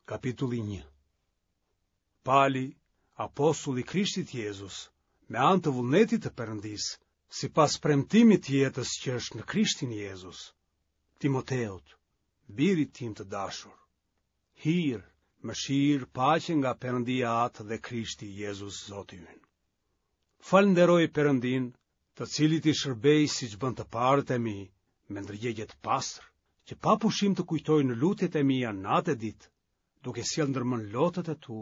Kapitulli 1 Pali, apostull i Krishtit Jezus, me anë të vullnetit të Perëndisë, sipas premtimit të jetës që është në Krishtin Jezus, Timoteut, birit tim të dashur. Hir, mëshirë, paqe nga Perëndia Atë dhe Krishti Jezus Zoti ynë. Falënderoj Perëndinë, të cilit i shërbej siç bënë të parët e mi, me ndërgjegje të pastër, që pa pushim të kujtoj në lutjet e mia natë e ditë, duke sjellë ndër mend lotët e tu,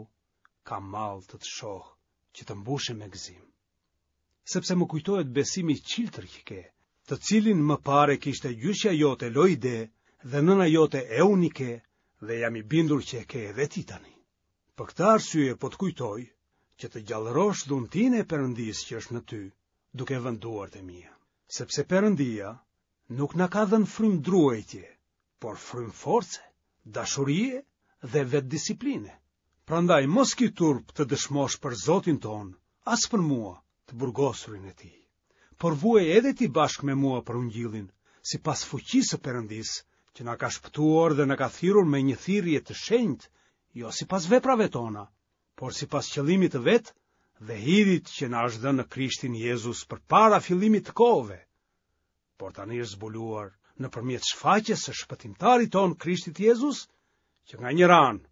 kam mall të të shoh, që të mbushem me gëzim. Sepse më kujtohet besimi i çiltër që ke, të cilin më parë e kishte gjyshja jote Loide dhe nëna jote Eunike dhe jam i bindur që e ke edhe ti tani. Për këtë arsye po të kujtoj që të gjallërosh dhuntinë e Perëndisë që është në ty, duke vënë duart e mia. Sepse Perëndia nuk na ka dhënë frymë druajtje, por frymë force, dashurie dhe vetëdisipline. Prandaj mos ki turp të dëshmosh për Zotin tonë, as për mua, të burgosurin e tij. Por vuaj edhe ti bashkë me mua për ungjillin, sipas fuqisë së Perëndisë, që na ka shpëtuar dhe na ka thirrur me një thirrje të shenjtë, jo sipas veprave tona, por sipas qëllimit të vet dhe hirit që na është dhënë në Krishtin Jezus përpara fillimit të kohëve. Por tani është zbuluar nëpërmjet shfaqjes së shpëtimtarit tonë Krishtit Jezus, që nga njëra anë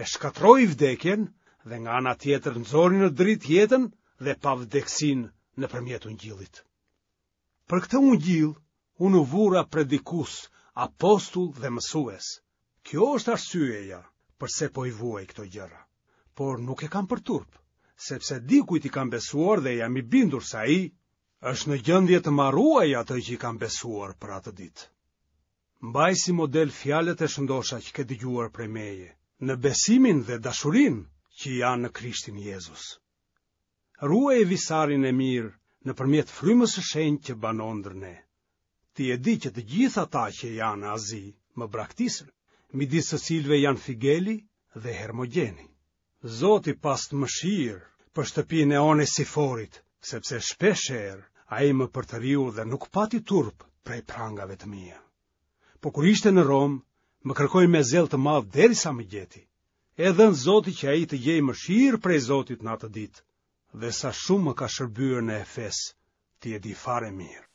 e shkatërroi vdekjen dhe nga ana tjetër nxori në dritë jetën dhe pavdekësinë nëpërmjet ungjillit. Për këtë ungjill unë u vura predikues, apostull dhe mësues. Kjo është arsyeja përse po i vuaj këto gjëra. Por nuk e kam për turp, sepse di kujt i kam besuar dhe jam i bindur se ai është në gjendje të ma ruajë atë që i kam besuar për atë ditë. Mbaj si model fjalët e shëndosha që ke dëgjuar prej meje, në besimin dhe dashurinë që janë në Krishtin Jezus. Ruaje visarin e mirë nëpërmjet frymës së shenjtë që banon ndër ne. Ti e di që të gjithë ata që janë në Azi më braktisën, midis të cilëve janë Figeli dhe Hermogjeni. Zoti pastë mëshirë për shtëpinë e Onesiforit, sepse shpeshherë ai më përtëriu dhe nuk pati turp prej prangave të mia. Po kur ishte në Romë, më kërkoi me zell të madh derisa më gjeti. E dhëntë Zoti që ai të gjejë mëshirë prej Zotit në atë ditë, dhe sa shumë më ka shërbyer në Efes, ti e di fare mirë.